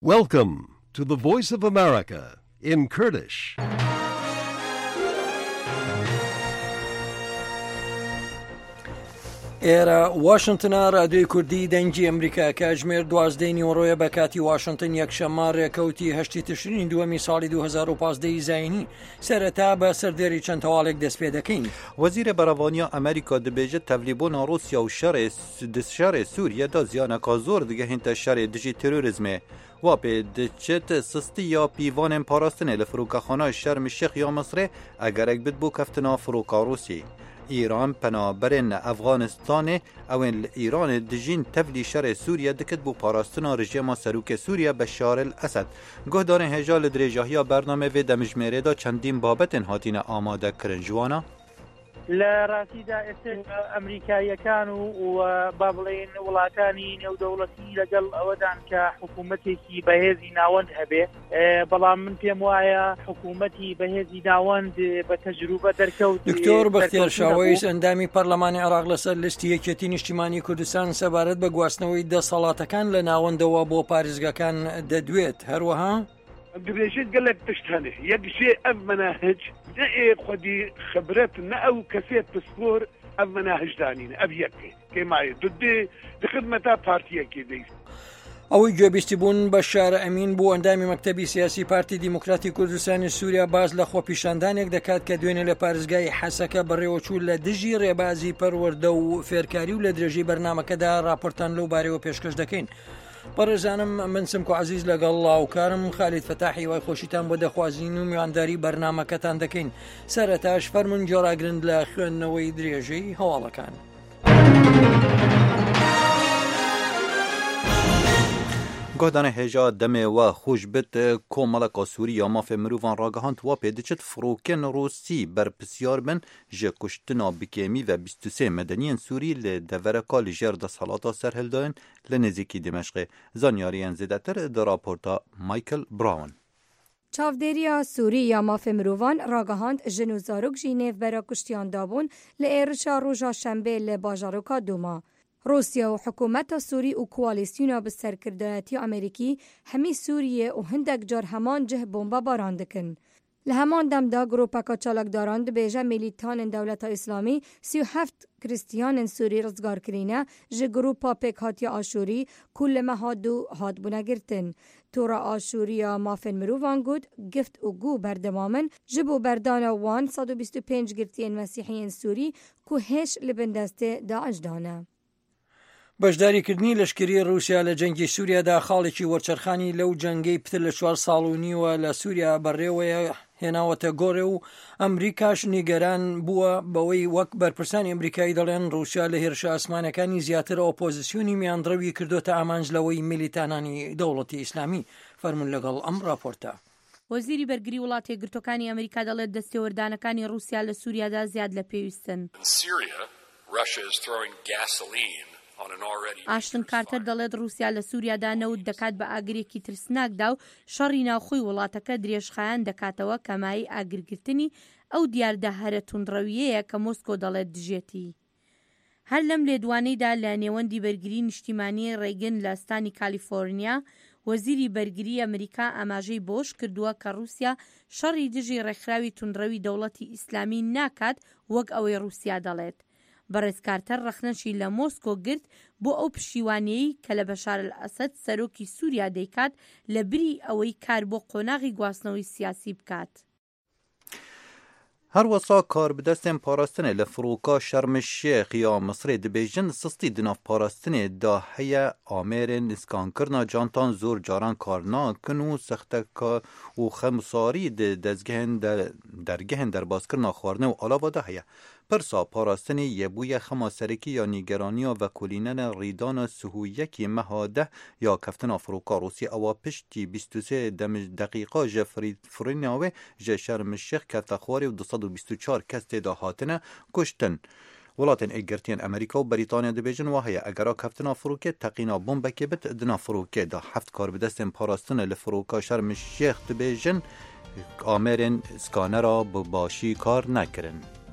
Welcome to the Voice of America in Kurdish. ئێرە واشنتنە رادیۆی کوردی دەنگی ئەمریکا کاتژمێر دوازدەی نیوەڕۆیە بە کاتی واشنتن یەکشەممە رێکەوتی هەشتی تشرینی دووەمی ساڵی 2015 ی زایینی سەرەتا بە سەردێری چەند هەواڵێک دەست پێ دەکەین. وەزیرê Berevaniya Amerîka dibêje tevlîbûna Rûsya û şerê di şerê Sûriye de ziyaneka zor digehînte şerê dijî terorîzmê. Wa pê diçit sistî ya pîvanên parastinê li firokexana Şerm Şêx ya Misrê egerek bit bo keftina firoka Rûsî. Îran penaberên Efxanistanê ewên li Îranê dijîn tevlî şerê Sûriye dikit bo parastina rejîma Serokê Sûriye Beşar El Esed. Guhdarên hêja li dirêjahiya bernameyê vê demijmêrê de çendîn babetên hatîne amadekirin ji wan a. لە ڕاستیدا ئێستا ئەمریکاییەکان و با بڵێین وڵاتانی نێودەوڵەتی لەگەڵ ئەوەدان کە حکوومەتێکی بەهێزی ناوەند هەبێ بەڵام من پێم وایە حکوومەتی بەهێزی ناوەند بە تەجروبە دەرکەوت دکتۆر بەختیار شاوەیس ئەندامی پەرلەمانی عێراق لەسەر لیستی یەکێتی نیشتیمانی کوردستان سەبارەت بە گواستنەوەی دەسەڵاتەکان لە ناوەندەوە بۆ پارێزگاکان دەدوێت هەروەها دبێژێت گەلەک تشت هەنێ یەک ژێ ئەڤ مەناهج نە ئێ خودی خبرەت نە ئەو کەسێ پسپۆر ئەڤ مەناهج دانینە ئەڤ یەک کێمایە دودێ di خدمەتا پارتیەکێ دەی. ئەوەی گوێبیستی بوون بەشار ئەمین بوو ئەندامی مەکتەبی سیاسی پارتی دیموکراتی کوردستانی سووریا باس لە خۆپیشاندانێک دەکات کە دوێنێ لە پارێزگای حەسەکە بەڕێوەچوو لە دژی ڕێبازی پەروەردە و فێرکاری و لە درێژەی بەرنامەکەدا راپۆرتان لەو بارەوە پێشکەش دەکەین. بەڕێزانم من سمکۆ عەزیز لەگەڵ لاوکارم خالید فەتاح هیوای خۆشیتان بۆ دەخوازین و میوانداری بەرنامەکەتان دەکەین سەرەتاش فەرمونون گۆراگرن لە خوێندنەوەی درێژەی هەواڵەکان. گۆدانە هێژا دەمێ وە خوش بت کۆمەڵەکە سووری یا مافێ مروڤان ڕاگەهاند وا پێ دچت فڕۆکێن ڕووسی بەرپسیار بن ji kuştina bi kêmî ve 23 medeniyên Sûrî li devereka li jêr desthelata serhildayên Li nêzîkî Dîmeşqê zanyariyên zêdetir di raporta Michael Brown. Çavdêriya Sûrî ya Mafê Mirovan ragihand jin û zarok jî nêvbera kuştiyan dabûn li êrişa roja şembê li bajaroka Dûma. Rûsya û hikûmeta Sûrî û koalîsyona bi serkirdayetiya Amerîkî hemî Sûriyê û hindek car heman cih bombebaran dikin. Li heman dem de grûpeka çalakdaran dibêje mîlîtanên Dewleta Îslamî 37 krîstiyanên Sûrî rizgar kirîne ji grûpa pêkhatiya Aşûrî ku li meha du hatibûne girtin. Tora Aşûrî ya Mafên Mirovan got, gift û gû berdewam in ji bo berdana wan 125 girtiyên mesîhiyên Sûrî ku hêj li bin destê DAIŞ de ne. بەشداریکردنی لەشکری ڕووسیا لە جەنگی سووریادا خاڵێکی وەرچەرخانی لەو جەنگەی پتر لە چوار ساڵ و نیوە لە سووریا بەڕێوەیە هێناوەتە گۆڕێ و ئەمریکاش نیگەران بووە بەوەی وەک بەرپرسانی ئەمریکایی دەڵێن ڕووسیا لە هێرشە ئاسمانەکانی زیاتر ئۆپۆزیسیۆنی میانڕەوی کردۆتە ئامانج لەوەی میلیتانانی دەوڵەتی ئیسلامی فەرموون لەگەڵ ئەم ڕاپۆرتە. وەزیری بەرگری وڵاتە یەکگرتووەکانی ئەمریکا دەڵێت دەستێوەردانەکانی ڕووسیا لە سووریادا زیاد لە پێویستن. ئاشتن کارتەر دەڵێت ڕووسیا لە سووریادا نەوت دەکات بە ئاگرێکی ترسناکدا و شەڕی ناوخۆی وڵاتەکە درێژخایەن دەکاتەوە کە مایەی ئاگرگرتنی ئەو دیاردە هەرە توندڕەوییەیە کە مۆسکۆ دەڵێت دژێتی. هەر لەم لێدوانەیدا لە نێوەندی بەرگری نیشتیمانیی ڕەیگن لە ستانی کالیفۆرنیا، وەزیری بەرگریی ئەمریکا ئاماژەی بەوەش کردووە کە ڕووسیا شەڕی دژی ڕێکخراوی توندڕەوی دەوڵەتی ئیسلامی ناکات وەک ئەوەی ڕووسیا دەڵێت. بەڕێز کارتەر ڕەخنەشی لە مۆسکۆ گرت بۆ ئەو پشتیوانییەی کە لە بەشار ئەلئەسەد سەرۆکی سووریا دەیکات لە بری ئەوەی کار بۆ قۆناغی گواستنەوەی سیاسی بکات. Herwisa karbidestên parastinê li firoka Şerm Şêx ya Misirê dibêjin sistî di nav parastinê de heye amêrên skankirina cantan zor caran kar nakin û sexteka û xemsarî di dezgehên dergehên derbaskirina xwarinê û alava de heye. Pirsa parastinê yê bûye xema serekî ya nîgeraniya vekolînene rîdana sihûyekî meha deh ya keftina firoka Rûsî ewa piştî 23 deqîqa ji firîna wê ji Şerm Şêx kefte xwarê û 224 kes tê de hatine kuştin. Welatên Êkgirtiyên Amerîka û Brîtanya dibêjin wa heye egera keftina firokê teqîna bombekê bit di nav firokê de. Heft karbidestên parastinê li firoka Şerm Şêx dibêjin amêrên skanera bi başî kar nekirin.